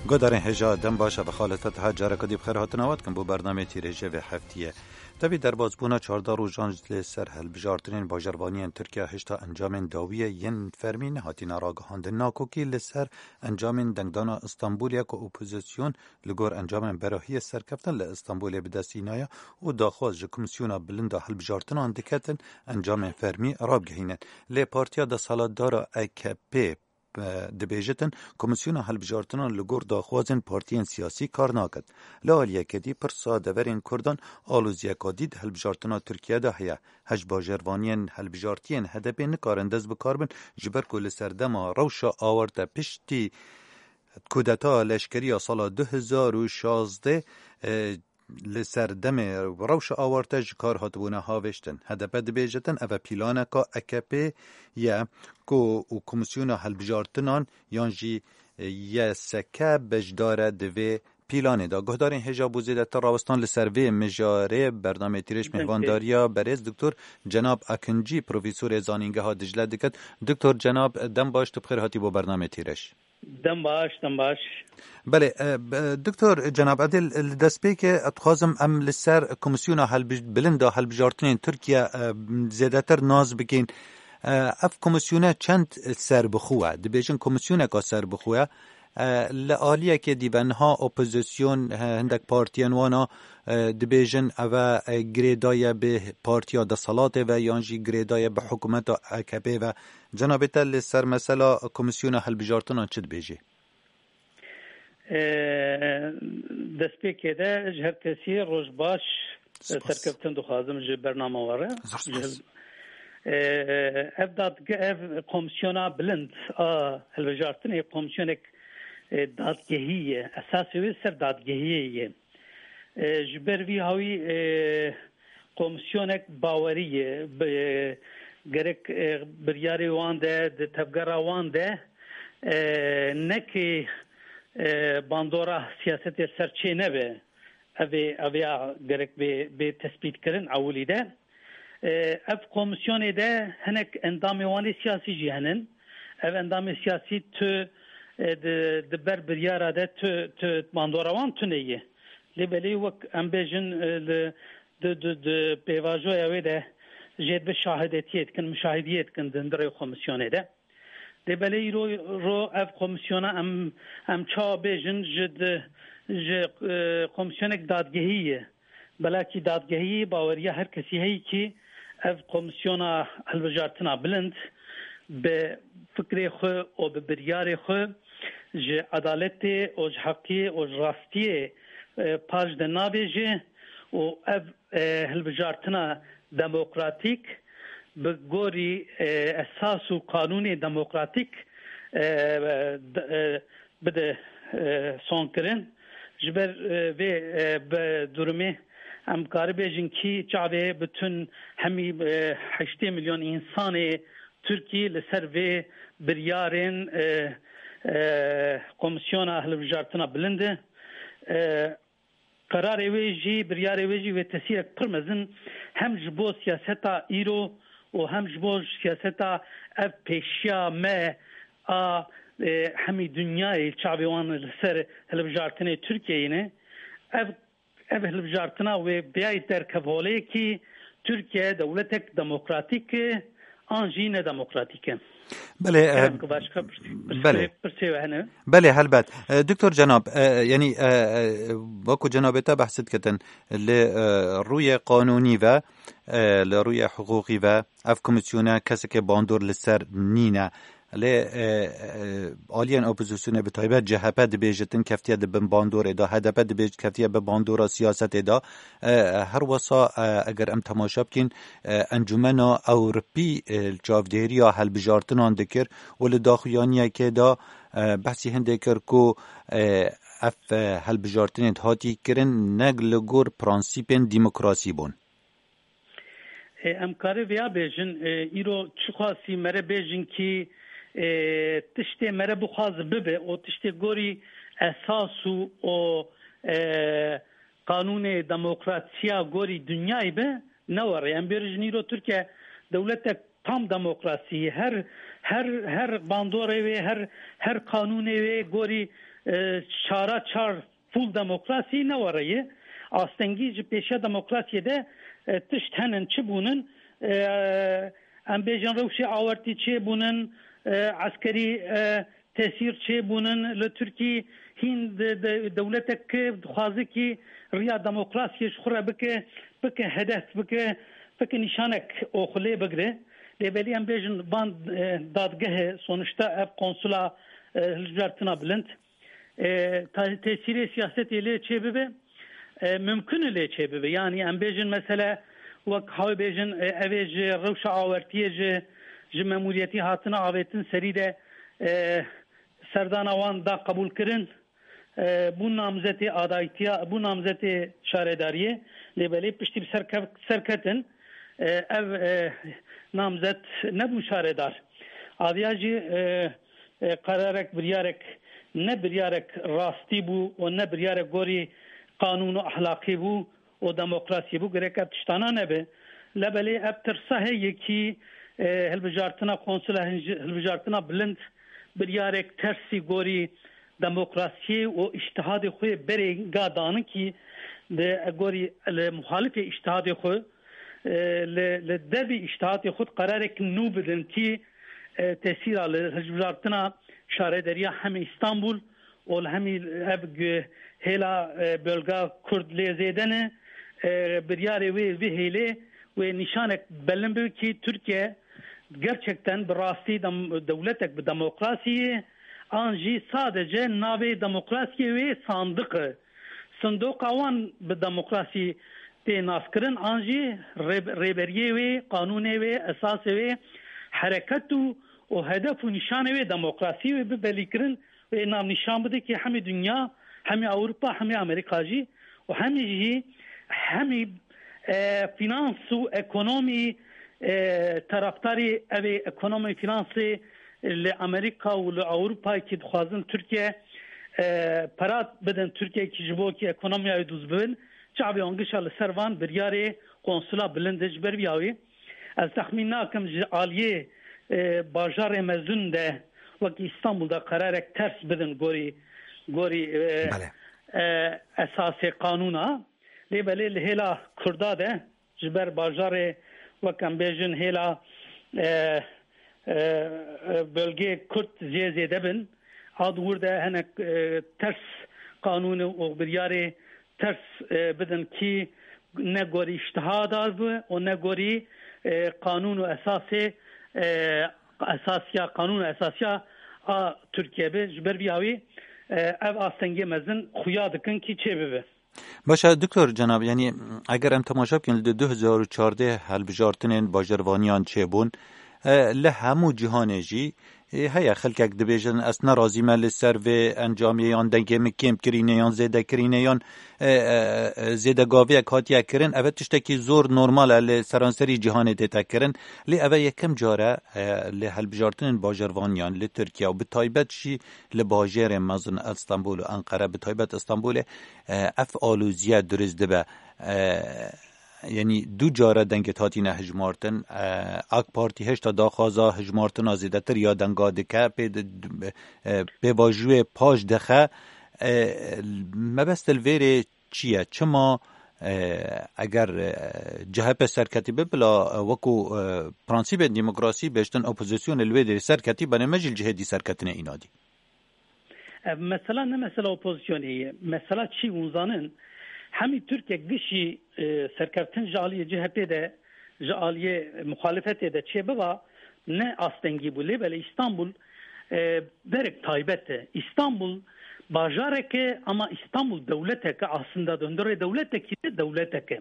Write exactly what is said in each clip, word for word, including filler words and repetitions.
Guhdarên hêja, dem baş, ev xalete diha careke dî bi xêr hatina we dikin bo bernameyê tîrêjê vê heftiyê. Tevî derbasbûna çardeh rojan li ser hilbijartinên bajarvaniyên Tirkiye hişta encamên dawiyê yên fermî nehatine ragihandin. Nakokî li ser encamên dengdana Îstanbulê ku opozîsyon li gor encamên berahiyê serkeftin li Îstanbulê bi dest înaye û daxwaz ji Komîsyona Bilind a Hilbijartinan diketin encamên fermî rabigihînin. Lê partiya desthilatdara A K P dibêjitin, Komîsyona Hilbijartinan li gor daxwazên partiyên siyasî kar naket. Li aliyekê dî pirsa deverên Kurdan aloziyeka dî di hilbijartina Tirkiye de heye. Hej bajarvaniyên hilbijartiyên H D P nikarin dest bi kar bin, ji ber ku li serdema rewşa awarte piştî kudeta leşkerî ya sala du hezar û şazdeh, e, li ser demê rewşa awarte ji kar hatibûne havêştin. H D P dibêjitin, ev e pîlaneka A K P ye ku û Komîsyona Hilbijartinan yan jî, e, Y S K beşdar e di vê pîlanê de. Guhdarên hêja, bo zêdetir rawestan li ser vê mijarê bernameyê Tîrêj mêhvandariya berêz Doktor Cenab Akincî, profesorê Zanîngeha Dicle dikit. Doktor Cenab, dem baş, tu bi xêr hatî bo bernameyê Tîrêj. Dem baş, dem baş. Belê, e, b-, Doktor Cenab, ez dê li destpêkê ez dixwazim em li ser Komîsyona Helbi-, Bilind a Hilbijartinên Tirkiye, e, zêdetir nas bikin. E, ev komîsyone çend serbixwe ye? Dibêjin komîsyoneka serbixwe ye. E, li aliyekê dî be niha opozîsyon, e, hindek partiyên wana, e, dibêjin ev e, e, girêdaye bi partiya desthilatê ve yan jî girêdaye bi hikûmeta A K P ve. Cenabê te li ser mesela Komîsyona Hilbijartinan çi dibêjê? E, destpêkê de ji her kesî roj baş, e, Spas. Serkeftin dixwazim ji bernama we re. Zor spas. Ji, e, ev dadge-, ev komîsyona bilind a hilbijartinê komîsyonek, e, dadgehî ye. Esasê wê ser dadgehiyê ye. E, ji ber vî hawî, e, komîsyonek bawerî ye. Bi-, gerek, e, biryarê wan de, di tevgera wan de, e, nekê, e, bandora siyasetê ser çê nebe. Ev ê, ev ya gerek bê, bê tespîtkirin ewilî de. E, ev komîsyonê de hinek endamê wan ê siyasî jî henin. Ev endamê siyasî tu, e, di, di ber biryara de tu, tu bandora wan tune ye. Lê belê wek em bêjin, e, li, di, di, di pêvajoya wê de jê dibe şahidetiyê dikin, muşahidiyê dikin di hundirê komîsyonê de. Dê belê îro ro ev komîsyona em, em çawa bêjin ji di, ji, e, komîsyonek dadgehî ye. Belakî dadgehî baweriya her kesî heyî kî ev komîsyona hilbijartina bilind bi fikrê xwe û bi biryarê xwe ji edaletê û ji heqiyê û ji rastiyê, e, paş de nabêje û ev, e, hilbijartina demokratîk bi gorî, e, esas û qanûnê demokratîk, e, d-, e, bide, e, sonkirin. Ji ber, e, vê, e, bi durumê em karibêjin kî çavê bütün hemî, e, heştê milyon însanê Tirkî li ser vê biryarên, e, e, Komîsyona Hilbijartina Bilind e. E, Qerarê wê jî, biryarê wê jî wê tesîrek pir mezin hem ji bo siyaseta îro û hem ji bo siyaseta ev pêşiya me a, e, hemî dinyayê çavê wan li ser hilbijartinê Tirkiyeyê ne. Ev, ev hilbijartina wê biyayê derkev holê kî Tirkiye dewletek demokratîk e, an jî nedemokratîk e. Belê, Kerem e, ki başka pirsê, belê. Pirsê, pirsê we hene? Belê, helbet. E, Doktor Cenab, e, yanî, e, e, wekî cenabê te behs dikitin, li, e, rûyê qanûnî ve, e, li rûyê hiqûqî ve, ev komîsyone kesekê bandor li ser nîne. Lê, e, e, aliyên opozîsyonê, bi taybet C H P dibêjitin keftiye di bin bandorê de, H D P dibêjit keftiye bi bandora siyasetê de. E, her wesa, e, eger em temaşe bikîn, e, Encûmena Ewropî, e, çavdêriya hilbijartinan dikir û li daxuyaniyekê de, e, behsî hindê kir ku, e, ev, e, hilbijartinên hatî kirin ne li gor prensîpên demokrasî bûn. E, em karê vêya bêjin, e, îro çiqasî mere bêjin kî, e, tiştê mere bixwaz bibe û tiştê gorî esas û, û, e, qanûnê demokrasiya gorî dinyayê be, ne were. Em bêjin îro Tirkiye dewletek tam demokrasî ye. Her, her, her bandorê wê, her, her qanûnê wê gorî e, çara çar full demokrasî ne were ye. Astengî ji pêşiya demokrasiyê de, e, tişt henin, çi bûnin? E, em bêjin rewşê awertî çêbûnin, e, eskerî, e, tesîr çêbûnin li Tirkî, hîn de, de, dewletek dixwaze kî riya demokrasiyê ji xwe re bike, bike hedef, bike, bike nîşanek û xwe lê bigire. Lê belê em bêjin van, e, dadgehe, sonuçta ev konsula, e, hilbijartina bilind, e, ta-, tesîrê siyasetê lê çêbibe, e, mimkun e lê çêbibe. Yanî em bêjin mesele wek hawê bêjin, e, ev ê ji rewşa awertiyê ji, ji memûriyetî hatine avêtin serî de, e, serdana wan da qebûlkirin, e, bû namzetê adaytiya, bû namzetê şaredariyê, lê belê piştî bi ser kev-, serketin, e, ev, e, namzet nebû şaredar. Aviya jî, e, e, qerarek, biryarek, ne biryarek rastî bû û ne biryarek gorî qanûn û ehlaqî bû û demokrasî bû, gerek ev tiştana nebe. Lebelê ev tirsa heye kî, e, hilbijartina konsula, hilbijartina bilind biryarek tersî gorî demokrasiyê û îştihadê xwe berê ga danin kî di gorî li muhalifê îştihadê xwe, e, li, li devî îştihadê xwe qerarek nû bidin kî, e, tesîra li hilbijartina şarederiya hemî Îstanbul û li hemî ev gu-, hêla, e, bölga Kurd lê zêde ne, e, biryarê wê vî hêlê wê nîşanek belin bibe kî Tirkiye gerçekten bi rastî dem-, dewletek bi demokrasî ye, an jî sadece navê demokrasiyê wê sandiq e. Sindoqa wan bi demokrasî tê naskirin, an jî rê-, rêberiyê wê, qanûnê wê, esasê wê, hereket û, û hedef û nîşanê wê demokrasî wê bi belîkirin, wê navnîşan bide ki hemî dinya, hemî Ewropa, hemî Amerîka jî û hemî jî hemî, e, finans û ekonomî, e, taraftarî evê ekonomî finansê li Amerîka û li Ewropa ki dixwazin Tirkiye, e, pera bidin Tirkiye ki ji bo ki ekonomiya wê dûz bibin, çavê wan gişa li ser van biryarê konsula bilind e ji ber vî awî. Ez texmîn nakim ji aliyê, e, bajarê mezin de wek Îstanbul de qerarek ters bidin gorî, gorî, e, Belê. e, esasê qanûna. Lê belê li hêla Kurda de ji ber bajarê wek em bêjin hêla, e, e, e, bölgê Kurd zê zêde bin. A di wir de hinek, e, ters qanûn û biryarê ters, e, bidin kî ne gorî îştihada bi û ne gorî, e, qanûn û esasê, e, esasiya, qanûn û esasiya a Tirkiye bi. Ji ber vî awî, e, ev astengê mezin xuya dikin kî çê bibe. Baş e, Doktor Cenab, yanî eger em temaşe bikin, li du hezar û çardeh helbijartinên bajarvaniyan çêbûn, e, li hemû cîhanê jî, e, heye xelkek dibêjin, ez nerazî me li ser vê encamê, yan dengê min kêm kirîne, yan zêde kirîne, yan, e, e, e, zêde gaviyek hatiye kirin. Ev tiştekî zor normal e, li seranserî cîhanê tête kirin. Lê ev yekem car e, e, li helbijartinên bajarvaniyan li Tirkiye û bi taybet jî li bajêrê mezin Stenbol û Enqere, bi taybet Stenbolê, e, ev alozîye dirust dibe. E, yanî du care dengê hatine hijmartin. E, AK Partî hêşta daxwaza hijmartina zêdetir ya denga dike, pê di, e, pêvajoyê paş dixe. E, mebest li vêrê çi ye? Çima, e, eger, e, C H P serketî be, bila, e, wekû, e, prensîbên demokrasî bêjtin opozisyonê li wê derê serketî, benê me jî li cihê dî serketine înadî? Ev mesela ne mesela opozisyonê ye. Mesela çi hûn zanin? Hemî Tirkiye gişî, e, serkeftin ji aliyê C H P de, ji aliyê muxalifetê de çê biba, ne astengî bû. Lê belê Îstanbul, e, berek taybet e. Îstanbul bajarek e, ama Îstanbul dewletek e. Aslında di hundirê dewletekî de dewletek e.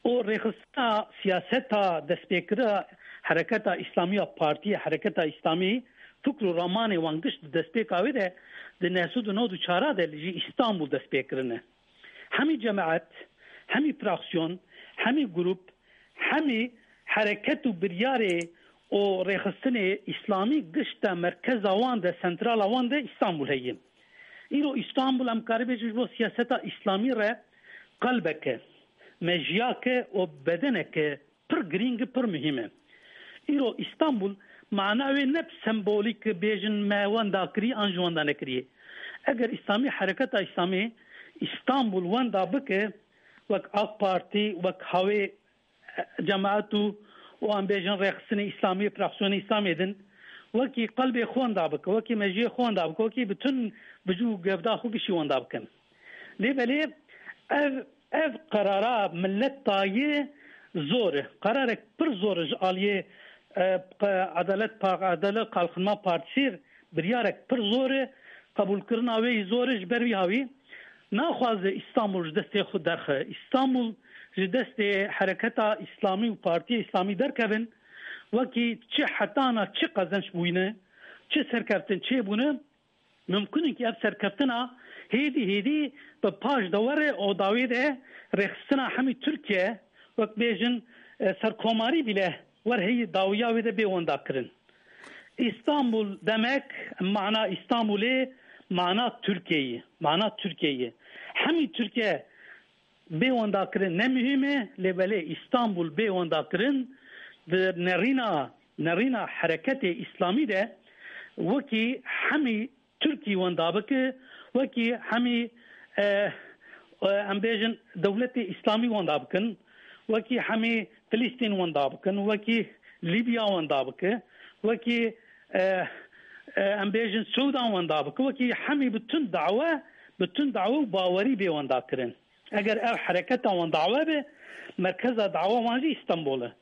Û rêxistina siyaseta destpêkirina Hereketa Îslamî ya Partiyê, Hereketa Îslamî, fikr û ramanê wan giş di destpêka wê de di neh sed û nod û çar de li jî Îstanbul dest pê kirine. Hemî cemaet, hemî fraksiyon, hemî grup, hemî hereket û biryarê û rêxistinê îslamî giş de merkeza wan de, sentrala wan de Îstanbul heye. Îro Îstanbul em karibêjin ji bo siyaseta îslamî re qelbeke, mejiyake û bedeneke pir girîng, pir muhîm e. Îro Îstanbul mana wê ne sembolîk bêjin me wenda kirî an ji wenda nekirî. Eger Îslamî, hereketa Îslamî Îstanbul wenda bike, wek AK Partî, wek hawê cemaet û, û em bêjin rêxistinê Îslamî, fraksiyonê Îslamê din, wekî qelbê xwe wenda bike, wekî mejiyê xwe wenda bike, wekî bütün bicû û gevda xwe gişî wenda bikin. Lê belê ev, ev qerara millet dayê zor e. Qerarek pir zor e ji aliyê, e, qe-, Edalet Pa-, Edalet Kalkınma Partisi, biryarek pir zor e. Qebûlkirina wê yî zor e, ji ber wî hawî naxwaze Îstanbul ji destê xwe derxe. Îstanbul ji destê hereketa Îslamî û Partiya Îslamî derkevin, wekî çi hetana çi qezenç bûyne, çi serkeftin çêbûne, mimkun e ki ev serkeftina hêdî hêdî bi paş de were û dawê de rêxistina hemî Tirkiye, wek bêjin, e, serkomarî bile wer heyî dawiya wê de bê wenda kirin. Îstanbul demek, mana Îstanbulê, mana Tirkiyeyê, mana Tirkiyeyê. Hemî Tirkiye bê wenda kirin ne muhîm e, lê belê Îstanbul bê wenda kirin, di nerîna, nerîna hereketê Îslamî de wekî hemî Tirkî wenda bike, wekî hemî, e, e, em bêjin dewletê Îslamî wenda bikin, wekî hemî Filistîn wenda bikin, wekî Lîbya wenda bike, wekî, e, e, em bêjin Sûdan wenda bike, wekî hemî bütün dawe, bütün dawe û bawerî bê wenda kirin. Eger ev hereketa wan dawe be, merkeza dawa wan jî Îstanbul e.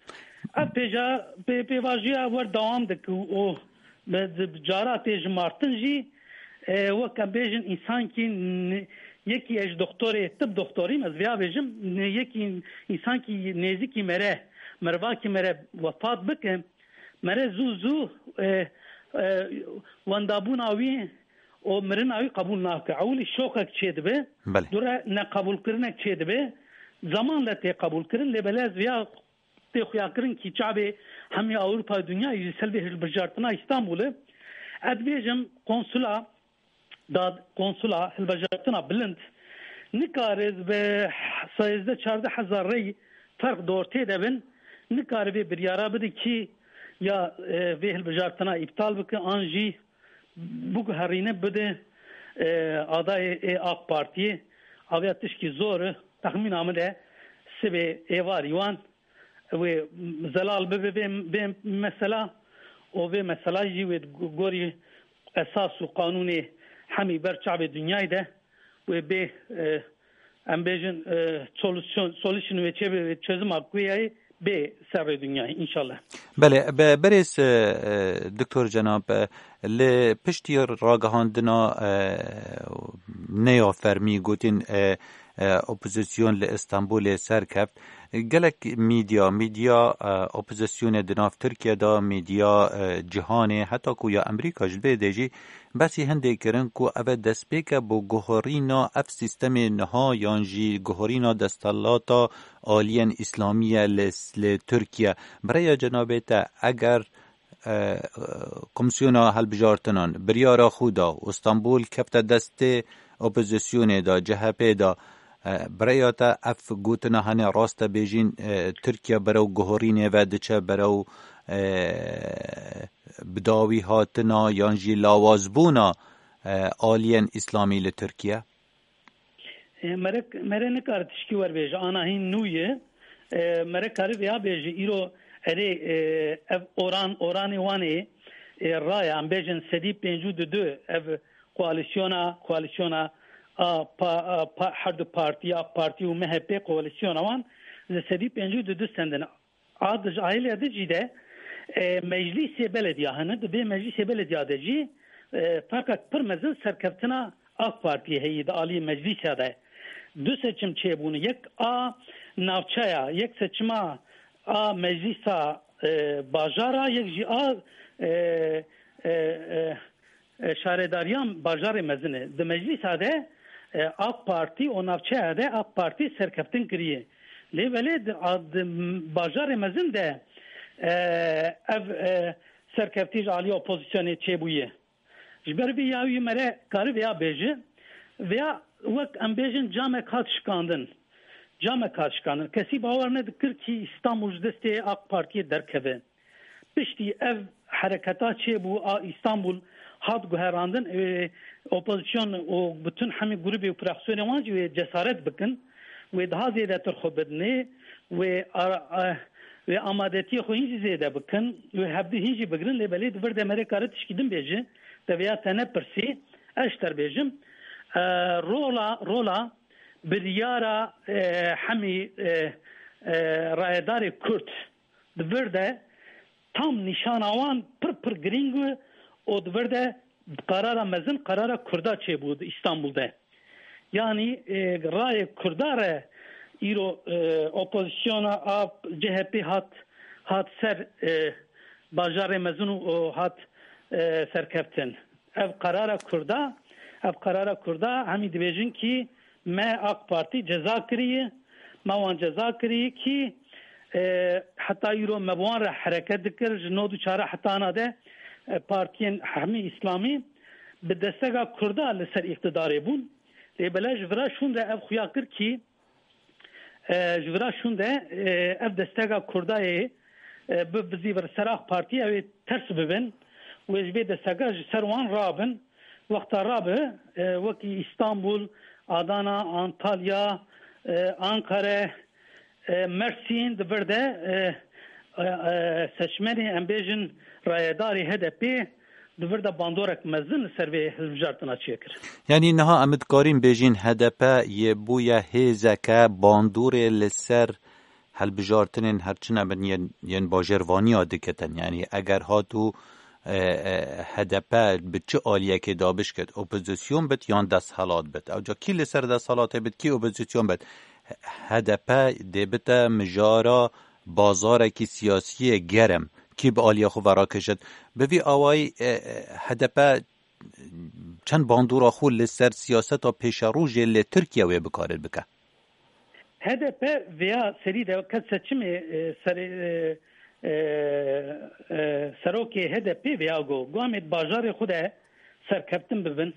Ev pêja, pê-, pêvajiya wer dewam dike û bi, bi cara tê jimartin jî, e, wek em bêjin, însankî n-, yekî ez doktorê, tib doktorîm, ez vêya bêjim, n-, yekî însankî nêzikî mere, mervakî mere wefat bike, mere zû zû, e, e, wendabûna wî û mirina wî qebûl nake. Ewilî şokek çêdibe, Belê. dûre neqebûlkirinek çêdibe, zeman le tê qebûlkirin, lê belê ez vêya tê xuyakirin kî çavê hemî Ewropa û dinyayê ji ser vê hilbijartina Îstanbulê. Ez bêjim konsula, dad-, konsula, hilbijartina bilind nikare bi sêzdeh çardeh hezar rey ferq di ortê de bin, nikare vê biryara bide kî ya, e, vê hilbijartina îptal bike an jî biguherîne bide, e, adayê ê AK Partiyê. Aviya tişkî zor e. Texmîna min de sibê êvarî wan wê zelal bibe vê, vê mesela û vê mesela jî wê gorî esas û qanûnê hemî ber çavê dinyayê de wê bê, e, em bêjin, e, solution, solution wê çê bê, çözüma ku ye bê serê dinyayê, înşallah. Belê, be-, berêz, e, e, Doktor Cenab, e, li piştî ragihandina, e, neya fermî gotin, e, e, opozisyon li Îstanbulê serkeft, gelek medya, medya, e, opozisyonê di nav Tirkiye de, medya, e, cîhanê, heta ku ya Amerîka ji vê de jî behsî hindê kirin ku ev e destpêk e bo guherîna ev sîstemê niha yan jî guherîna desthilata aliyên Îslamî ye li, li Tirkiye. Bi rêya cenabê te, eger, e, Komîsyona Hilbijartinan biryara xwe da û Stenbol kefte destê opozisyonê de, C H P de, e, bi rêya te ev gotina hene rast e bêjîn, e, Tirkiye berew guherînê ve diçe, berew, e, bi dawî hatina yan jî lawazbûna, e, aliyên Îslamî li Tirkiye? E, mere, mere nikare tişkî werbêje, ana hîn nû ye. E, mere kare vêya bêje, îro erê, e, ev oran, oranê wan ê, e, raya, em bêjin sedî pêncî û du, ev koalîsyona, koalîsyona a pa-, a pa-, her du partî, AK Partî û M H P, koalîsyona wan ji sedî pêncî û du sendin. A di ji aîlê di jî de, e, meclîsê belediya hene. Di vê meclîsê belediya de jî, e, ferqek pir mezin serkeftina AK Partiyê heye di aliyê meclîsa de. Du seçim çêbûne. Yek a navçeya, yek seçima a meclîsa, e, bajara, yek jî a, e, e, e, e, şaredariya bajarê mezin e. Di meclîsa de, e, AK Partî û navçeya de AK Partî serkeftin kiriye. Lê belê di, a, di bajarê mezin de, e, ev, e, serkeftî ji alî opozisyonê çêbûye. Ji ber vê yawî mere kare vêya bêje, vêya wek em bêjin camek hat şikandin. Camek hat şikandin. Kesî bawer nedikir kî Îstanbul ji destê AK Partiyê derkeve. Piştî ev hereketa çêbû a Îstanbul hat guherandin, e, opozîsyon û bütün hemî grûbê û fraksiyonê wan jî wê cesaret bikin, wê daha zêdetir xwe bidinê, wê ara-, a-, wê amadetiyê xwe hîn jî zêde bikin, wê hevdî hîn jî bigrin, lê belê di vir de merê kare tişkî din bêje, te vêya te nepirsî, ez ji te re bêjim, e, rola, rola biryara, e, hemî, e, e, rayedarê Kurd di vir de tam nîşana wan pir pir girîng û di vir de qarara mezin, qarara Kurda çêbû di Îstanbul de. Yanî, e, rayê Kurda re îro, e, opozîsyona a C H P hat, hat ser, e, bajarê mezin û, û hat, e, serkeftin. Ev qarara Kurda, ev qarara Kurda hemî dibêjin kî me AK Partî ceza kiriye, me wan ceza kiriye kî, e, heta îro me bi wan re hereket dikir, ji nod û çar heta ana de, e, partiyên hemî îslamî bi destega Kurda li ser îqtidarê bûn. Lê bele ji vira şûn re ev xuya kir kî, e, ji vira şûn de, e, ev destega Kurdayê, e, bi, bizî vir ser AK Partî ew ê ters bibin. Wê ji vê destega ji ser wan rabin. Wexta rabe, e, wekî Îstanbul, Adana, Antalya, e, Ankara, e, Mersîn di vir de, e, e, e, seçmenê, em bêjin, rayedarê H D P di vir de bandorek mezin li ser vê hilbijartina çêkir. Yanî niha em dikarîn bêjin H D P yê bûye hêzeke bandorê li ser hilbijartinên her çi nebin yên, yên bajêrvaniya diketin. Yanî eger hat û, e, e, H D P bi çi aliyekê dabişket, opozîsyon bit yan desthilat bit? Ewca kî li ser desthilatê bit, kî opozîsyon bit? H D P dê bite mijara bazarekî siyasiyê germ. Kî bi aliya xwe ve rakişit? Bi vî awayî, e, e, H D P çend bandora xwe li ser siyaseta pêşerojê li Tirkiye wê bikarin bike? H D P vêya serî de ke seçimê, e, serê, e, e, e, serokê H D P vêya got, got, em ê di bajarê xwe de serkeftin bibin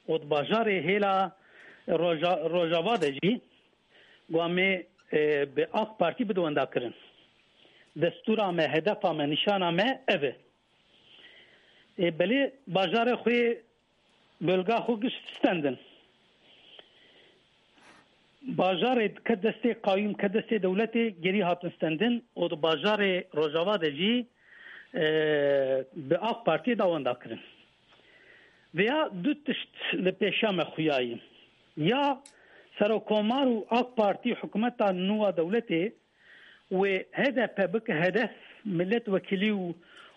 û di bajarê hêla Roja-, Rojava de jî, got, em ê, e, bi AK Partî bide wendakirin. Destûra me, hedefa me, nîşana me ev e. Ê, belê bajarê xwe, bölga xwe giş stendin. Bajarê ke destê qayûm, ke destê dewletê gerî hatin stendin û di bajarê Rojava de jî, e, bi AK Partiyê da wenda kirin. Vêya du tişt li pêşiya me xuyayî. Ya Serokomar û AK Partî hikûmeta nû a dewletê wê H D P bike hedef, millet wekîlî û,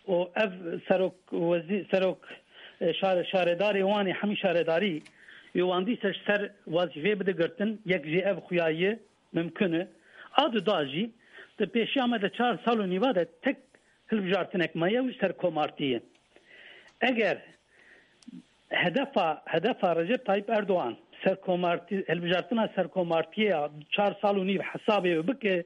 û ev serok wezî-, serok, e, şare-, şaredarê wan ê hemî şaredarî wê wan dîse ji ser wezîfeyê bide girtin, yek jê ev xuya ye, mimkun e. A duda jî, di pêşiya me de çar sal û nîva de tek hilbijartinek maye, ew jî serkomartî ye. Eger hedefa, hedefa Recep Tayyip Erdogan serkomartî, hilbijartina serkomartiyê ya çar sal û nîv hesabê wê bike,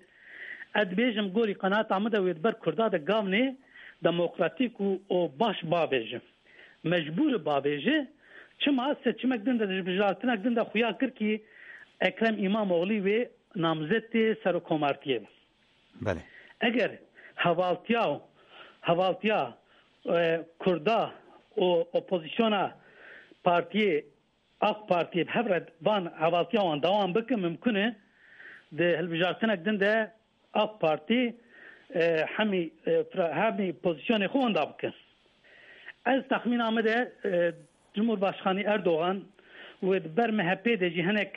ez dibêjim gorî qenaeta min de wê di ber Kurda de gavnê demokratîk û, û baş bavêje. Mecbûr e bavêje. Çima? Seçimek din de, hilbijartinek din de xuya kir kî Ekrem Îmamoglî wê namzetê serokkomartiyê be. Belê. Eger hevaltiya, hevaltiya, e, Kurda û opozisyona partiyê AK Partiyê bi hev re van hevaltiya wan dewam bike, mimkun e di hilbijartinek din de AK Partî, e, hemî, e, fra-, hemî pozîsyonê xwe wenda bike. Ez texmîna min de, e, Cumhurbaşkanî Erdogan wê di ber M H P de jî hinek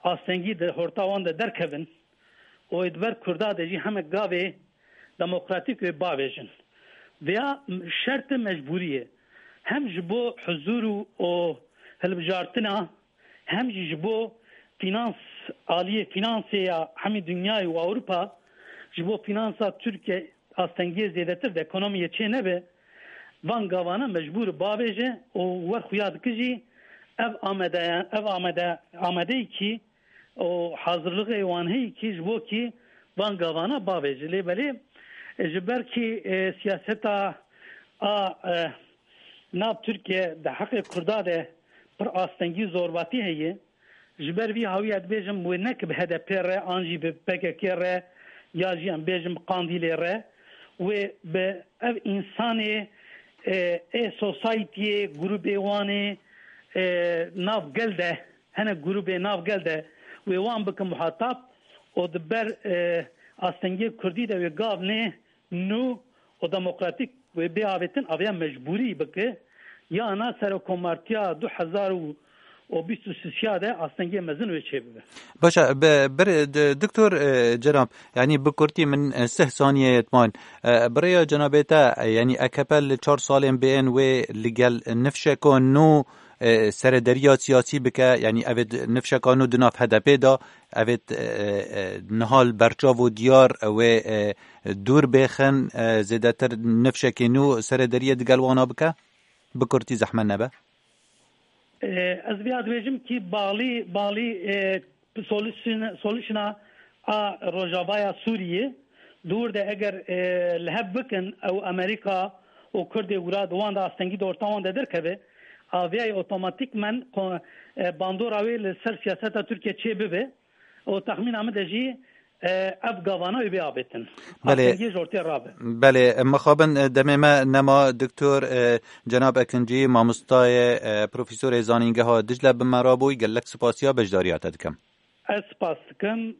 astengî di horta wan de derkevin û wê di ber Kurda de jî hinek gavê demokratîk wê bavêjin. Vêya şert e, mecbûrî ye. Hem ji bo huzûr û, û hilbijartina, hem jî ji bo fînans, aliyê fînansê ya hemî dinyayê û Ewropa, ji bo fînansa Tirkiye astengiyê zêdetir di ekonomiyê çê nebe, van gavana mecbûr bavêje û wer xuya dike jî ev amade, ev amade, amadeyî kî û hazirlixê wan heyî kî ji bo kî van gavana bavêje. Lê belê, e, ji ber kî, e, siyaseta a, e, nav Tirkiye di heqê Kurda de pir astengî, zorbatî heye. Ji ber vî hawî ez dibêjim wê ne ki bi H D P re an jî bi P K K re ya jî em bêjim bi Qandîlê re, wê bi ev însanê E, e societyê, grûbê wan ê, e, nav gel de, hene grûbê nav gel de wê wan bikin muhatab û di ber, e, astengiyê kurdî de wê gav nê nû û demokratîk wê bê avêtin, aviya mecbûrî bike, yana serokomartiya du hezar û bîst û sisiya de astengiyê mezin wê çêbibe. Baş e, bi-, bir, d-, Doktor, e, Cenab, yanî bi kurtî min, e, sih saniyeyê diman. E, bi rêya cenabê te, e, yanî A K P li çar salên bêên wê li gel nifşeka nû, e, serederiya siyasî bike, yanî evê d-, nifşeka nû di nav H D P de, evê d-, e, e, niha li berçav û diyar wê, e, dûr bêxin, e, zêdetir nifşekê nû serederiyê digel wana bike? Bi kurtî zehmet nebe. E, ez vêya dibêjim kî balî, balî, e, solution-, solution'a a Rojavaya Sûriyê dûr de eger, e, li hev bikin ew Amerîka û Kurdê wira di wan de astengî di orta wan de derkeve, aviyayê otomatîkmen ko-, e, bandora wê li ser siyaseta Tirkiye çê bibe û texmîna min de jî, e, ev gavana wê bê avêtin. Belê. Astengiyê ji ortê rabe. Belê, mixabin, e, demê me nema Doktor, e, Cenab Ekincî, mamostayê, e, profesorê zanîngeha Dicle bi me re bûy, gelek spasiya beşdariya te dikim. Ez spas dikim.